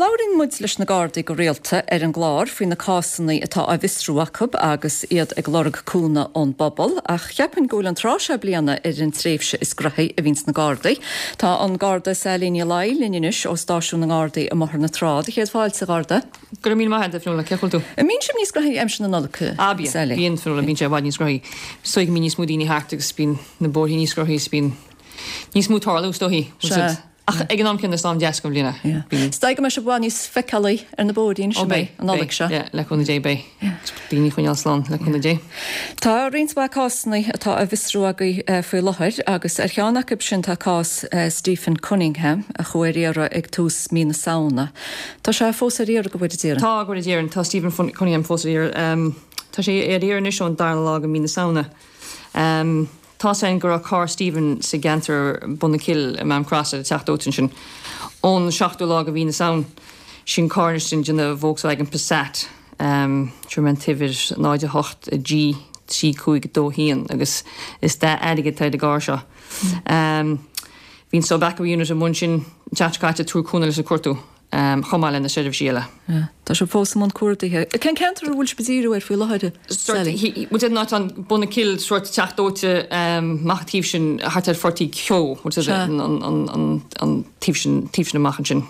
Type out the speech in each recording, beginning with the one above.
Labhraíonn muid leis na Gardaí go rialta ar an gclár faoi na cásanna atá á bhfiosrú acu agus iad ag lorg cúnamh ón bpobal, ach cheapfainn go bhfuil an tráth seo bliana ar an tréimhse is graithí a bhíonns na Gardaí. Tá an Garda Sally Ní Laoi linn anois ó Stáisiún na nGardaí i mBóthar na Trá. Do chéad fáilte, a Gharda. Go raibh míle maith agat, a Fionnuala. Cén chaoi a bhfuil tú? An mbíonn sibh níos graithí aimsir na Nollag, Ah, bíonn. Sally? Bíonn, Fionnuala, bíonn sé i bhfad níos graithí. Is dóigh go mbíonn níos mó daoine thart agus bíonn na bóithre níos graithí is bíonn níos mó ag tarlú, is dóichí. Sea. Ach ag an am céanna is am deas den bhliain é. Yeah. Bíonn. Is dóigh go mbeidh sibh i bhfad níos feiceálaí ar na bóithrí anois, Ó an beidh, mbeidh, an Nollaig beidh, seo? yeah, le cúnamh Dé beidh. Yeah. Daoine a choinneáil slán, le cúnamh Dé. Tá roinnt mhaith cásanna atá á bhfiosrú agaibh faoi láthair agus ar cheann acu sin tá cás Stephen Cunningham a chuaigh ar iarraidh ag tús mí na Samhna. Tá sé fós ar iarraidh, go bhfóire Dia orainn. Tá, go bhfóire Dia orainn. Tá Stephen Cunningham fós ar iarraidh. Tá sé ar iarraidh anois ón darna lá de mhí na Samhna. Tá's againn go raibh carr Stephen sa gceantar Bun na Cille i Maam Cross ar an teach dóite ansin ón seachtú lá de mhí na Samhna. Sin carr anois den déanamh Volkswagen Passat. Fuair mé an t-uimhir 0 8 G 3 5 2 1 agus is dath airgid atá ar an gcarr seo. Bhí an Sub Aqua Unit i mbun sin an tseachtain seo caite ag tabhairt cúnamh leis an cuartú, chomh maith le na seirbhísí eile. Tá sibh fós i mbun cuardaithe. Cén ceantar a bhfuil sibh ag díriú air faoi láthair, Sally? Bhuel, an áit an Bun na Cille, sórt teach dóite amach an taobh sin, thart ar Phort Uí Cheo, an taobh sin, taobh sin amach ansin.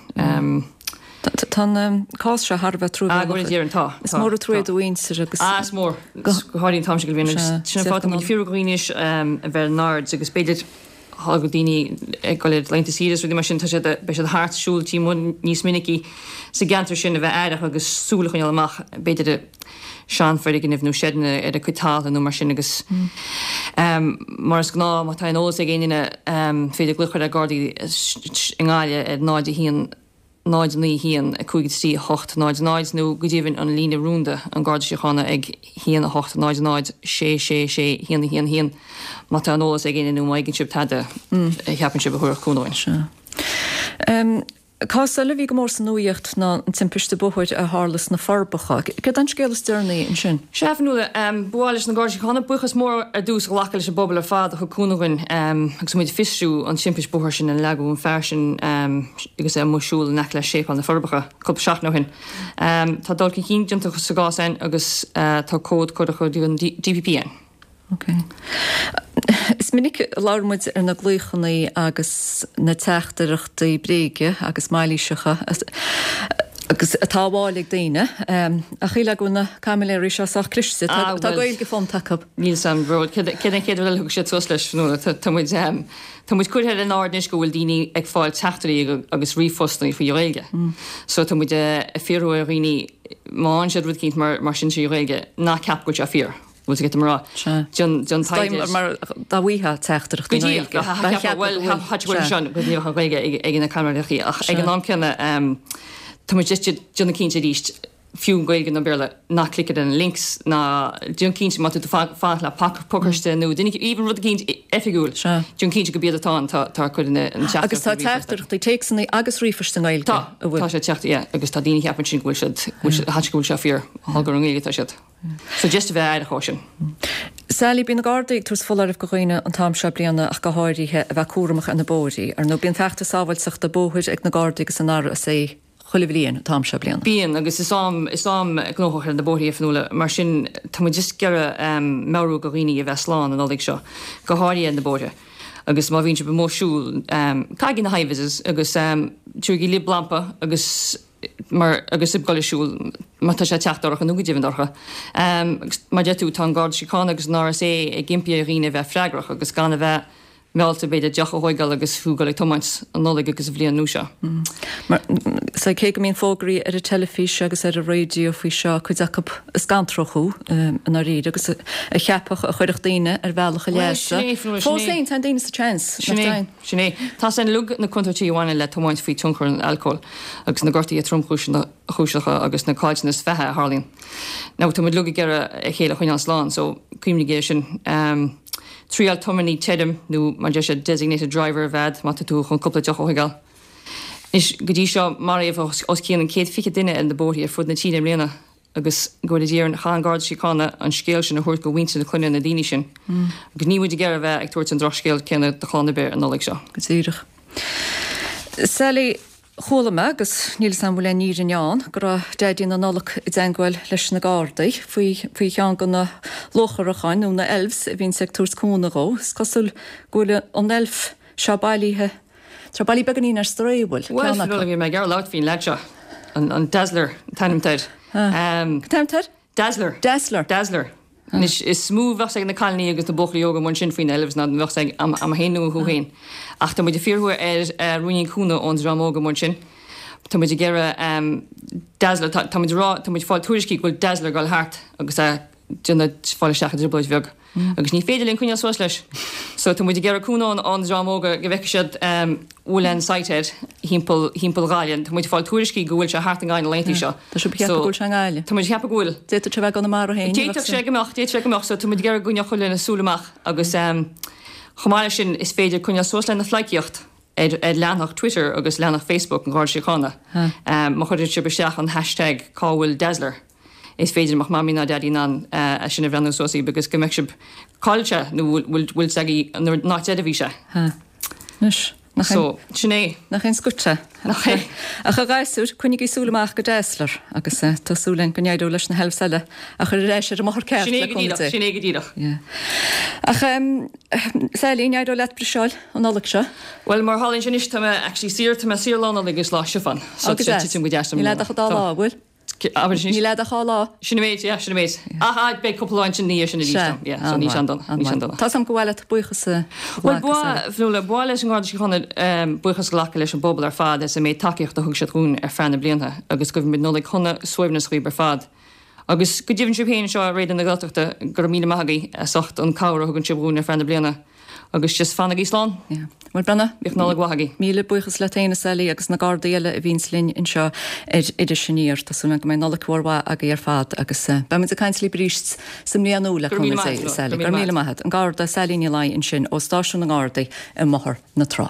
Tá an cás seo thar a bheith truamhéalach. Ah, go bhfóire Dia orainn, tá. Is mór an trua do mhuintir agus. Ah, is mór. Go háirithe an t-am seo den bhliain agus sin an fáth tá muid ag fiafraí de dhaoine anois a bheith ar a n-aird agus b'fhéidir tá daoine ag dul ar laethanta saoire is rudaí mar sin, tá siad, beidh siad thart siúl taobh amuigh níos minicí sa gceantar sin a bheith aireach agus súil a choinneáil amach b'fhéidir i seanfhoirgnimh nó seideanna ar a gcuid talún nó mar sin agus mar is gnáth má tá aon eolas ag aon duine féidir glaoch a chur ar Gardaí i nGaillimh ar 0 1 0 9 1 5 3 8 0 0 nó go deimhin an líne rúnda an Garda Síochána ag 1 8 0 0 6 6 6 1 1 1 má tá aon eolas ag éinne nó má fhaigheann sibh tada a cheapann sibh a thabharfadh cúnamh dúinn. Sea. Cás eile a bhí go mór sa nuaíocht ná an timpiste bóthair a tharla sna Forbacha. Céard é an scéal is deireanaí ansin? Sea, a Fhionnuala, ba mhaith leis na Gardaí Síochána buíochas mór ar dtús a ghlacadh leis an bpobal ar fad a thug cúnamh dhúinn agus muid ag fiosrú an timpist bóthair sin ina leagadh an fear sin agus é amuigh ag siúl in aice le Séipéal na Forbacha cúpla seachtain ó shin. Tá dul chun cinn déanta sa gcás sin agus tá comhad curtha chuig an DPP againn. Ok. Is minic a labhair muid ar na glaochanna agus na teachtaireachtaí bréige agus mailíseacha agus atá á bhfáil ag daoine. Ach shílfeá go bhfuil na caimiléirí seo sách cliste. Ah, Tá Gaeilge fónta acu. Níl 's a'm, bro. Céard é an chéad rud eile a thug siad suas leis, Fionnuala? Tá muid, tá muid curtha ar an aird anois go bhfuil daoine ag fáil teachtairí agus ríomhphostanna faoi Ghaeilge. So tá muid ag fiafraí ar dhaoine má fhaigheann siad rud eicínt mar sin trí Ghaeilge, ná ceap go bhfuil sé fíor. Bhfuil tú get mar rá. Sea. Déan, déan taighde. Mar dá bhfaighfeá teachtaireacht i nGaeilge. Go díreach. Cheapfá go bhfuil. Tá sé sin go díreach an Ghaeilge ag na caimiléirí ach ag an am céanna tá muid just ag déanamh cinnte arís fiú Gaeilge nó Béarla ná cliceáil ar na links ná déan cinnte má tá tú fanacht le pacáiste nó duine even rud eicínt oifigiúil déan cinnte gurb iad atá ann tá tá cuid na teachtaireachtaí Agus tá teachtaireachtaí téacsanna agus ríomhphoist i nGaeilge Tá tá sé teacht yeah agus tá daoine a cheapann sin go bhfuil siad go bhfuil siad go bhfuil sé fíor gur i nGaeilge atá siad. So just a bheith aireach ó sin. Sally, Bíonn na Gardaí ag tabhairt foláireamh go dhaoine an t-am seo bliana ach go háirithe a bheith cúramach ar na bóithrí. Ar ndóigh bíonn feachtas sábháilteachta bóthair ag na Gardaí agus an RSA chuile bhliain an t-am seo bliana. Bíonn agus is am is am gnóthach ar na bóithrí a Fionnuala mar sin tá muid just ag iarraidh meabhrú go dhaoine a bheith slán an Nollaig seo go háirithe ar na bóithre agus má bhíonn sibh amuigh ag siúl caithigí na hi-vises agus tabhairigí libh lampa agus mar agus ag dul ag siúl má tá sé ag teacht dorcha nó go deimhin dorcha. Agus mar a deir tú, tá an Garda Síochána agus an RSA ag impí ar dhaoine a bheith freagrach agus gan a bheith meallta b'fhéidir deoch a thóigeáil agus thú ag dul ag tiomáint an Nollaig agus an bhliain nua seo. Mar so cé go mbíonn fógraí ar an teilifís agus ar an raidió faoi seo, cuid acu a scanródh thú i ndáiríre agus a cheapfadh a chuirfeadh daoine ar bhealach a Bhuel, leasa. sin é, sin Fós é. féin, téann daoine sa tseans, nach Sin é. dtéann? Sin é. Tá 's againn uilig na contúirtí a bhaineann le tiomáint faoi tionchar an alcóil agus na gortuithe tromchúiseacha agus na caillteanas beatha a tharlaíonn. Now tá muid uilig ag iarraidh a chéile a choinneáil slán so cuimhnigí air sin. Triail tiománaí tirim nó mar a deir siad designated driver a bheith a'd má tá tú chun cúpla deoch a thóigeáil. Anois go dtí seo maraíodh os cionn an 120 duine ar na bóithrí ar fud na tíre i mbliana. Agus go bhfóire Dia orainn, chaith an Garda Síochána an scéal sin a thabhairt go mhuintir na clainne na daoine sin. Agus níl muid ag iarraidh a bheith ag tabhairt an drochscéal céanna do chlann ar bith an Nollaig seo. Go díreach. Sally, Chuala mé, agus níl 'fhios a'm an bhfuil aon fhírinne ann, go raibh Daidí na Nollag i dteangmháil leis na Gardaí faoi faoi cheann de na luacharacháin nó na elves a bhíonns ag tabhairt cúnamh dhó. Is cosúil go bhfuil an elf seo bailithe, tá bailithe beagáinín ar strae, bhfuil, Bhuel, ceann acu. Bhí mé ag iarraidh labhairt faoin leaid seo, an Dazzler an t-ainm atá air. Cad t-ainm atá air? Dazzler. Dazzler. Dazzler. Anois, is mó a bheadh 's ag na cailíní agus na buachaillí óga amuigh ansin faoi na elves ná a bheadh 's agam féin nó thú féin. Ach tá muid ag fiafraí ar ruainnín cúnamh ón dream óg amuigh ansin. Tá muid ag iarraidh Dazzler, tá muid ag rá, tá muid ag fáil tuairiscí go bhfuil Dazzler ag dul thart agus é ag déanamh fáil isteach i dtrioblóid bheag. Agus ní féidir linn coinneáil suas leis. So tá muid ag iarraidh cúnamh ón dream óg go bhfeicfidh siad bhfuil aon sight air thimpeall thimpeall Ghaillimh. Tá muid ag fáil tuairiscí go bhfuil sé thart i nGaillimh na laethanta seo. Tá sibh ag ceapadh go bhfuil sé i nGaillimh? Tá muid ag ceapadh go bhfuil. D'fhéadfadh sé a bheith i gConamara féin. D'fhéadfadh sé go mbeadh, d'fhéadfadh sé go mbeadh. So tá muid ag iarraidh go gcoinneodh chuile dhuine súil amach agus chomh maith leis sin is féidir coinneáil suas lena phleidhcíocht ar ar leathanach Twitter agus leathanach Facebook an Gharda Síochána. Má chuireann sibh isteach an hashtag cá bhfuil Dazzler. Is féidir go mbeadh Mamaí ná Daidí in ann é sin a bhreathnú suas daoibh agus go mbeidh sibh cá bhfuil sé nó bhfuil bhfuil 's agaibh an áit ar a bhí sé. Ha. Anois, nach aon. So, sin é. Nach aon scoth é. Nach é. Ach a ghasúir, coinnigí súil amach go Dazzler agus tá súil againn go n-éireoidh leis na helves eile a chur ar ais ar an mbóthar ceart le cúnamh Dé. Sin é go díreach. Yeah. Ach Sally, an éireoidh leat briseáil an Nollaig seo? Bhuel, mar a tharlaíonn sé anois, tá mé actually saor, tá mé saor Lá Nollag agus Lá Stiofáin. So, tá sé ag titim go deas dom. Níl a'd ach an dá lá, bhfuil? Abair anois. Níl a'd ach dhá lá. Sin an méid, yeah, sin an méid. Ach, ah, beidh cúpla lá ansin ina dhiaidh sin arís dom. Yeah, so níl sé an-dona, níl sé an-dona. Tá 's a'm gur mhaith leat buíochas a Bhuel, ghlacadh, Sally. ba, Fionnuala, ba mhaith leis an nGarda Síochána buíochas a ghlacadh leis an bpobal ar fad as an méid tacaíochta a thug siad dhúinn ar feadh na blianta agus guímid Nollaig shona, suaimhneas dhaoibh ar fad. Agus go deimhin sibh féin anseo ar Raidió na Gaeltachta, go raibh míle maith agaibh as ucht an cabhair a thugann sibh dhúinn ar feadh na bliana. Agus just fanaigí slán. Yeah. Bhuel, Brenna, Bíodh Nollaig mhaith agaibh. Míle buíochas leat féin, a Sally, agus na Gardaí eile a bhíonns linn anseo ar Iris Aniar. Tá súil agam go mbeidh Nollaig mhór mhaith agaibh ar fad agus beidh muid ag caint libh arís sa mbliain nua le Go raibh míle cúnamh maith Dé, agat, a Sally. Go raibh míle maith agat. An Garda Sally Ní Laighin ansin ó Stáisiún na nGardaí i mBóthar na Trá.